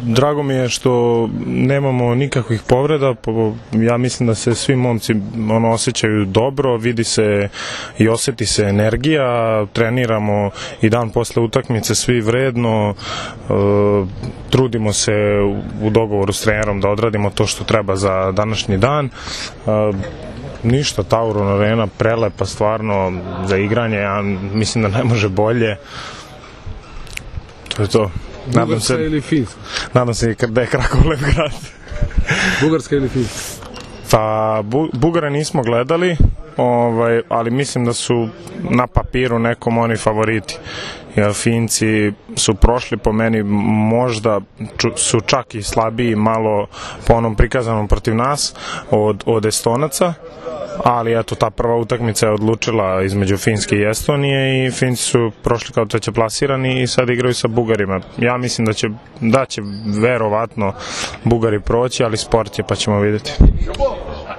Drago mi je što nemamo nikakvih povreda, ja mislim da se svi momci osjećaju dobro, vidi se i osjeti se energija, treniramo i dan posle utakmice svi vredno, trudimo se u dogovoru s trenerom da odradimo to što treba za današnji dan. Ništa, Tauron Arena prelepa stvarno za igranje, ja mislim da ne može bolje. To je to. Bugarska ili Finska? Nadam se da je Krakov lep grad. Bugarska ili Finska? Pa, Bugare nismo gledali, ali mislim da su na papiru nekom oni favoriti. Jer Finci su prošli po meni, možda su čak i slabiji malo po onom prikazanom protiv nas od Estonaca, ali eto, ta prva utakmica je odlučila između Finske i Estonije i Finci su prošli kao treće plasirani i sad igraju sa Bugarima. Ja mislim da će verovatno Bugari proći, ali sport je, pa ćemo vidjeti.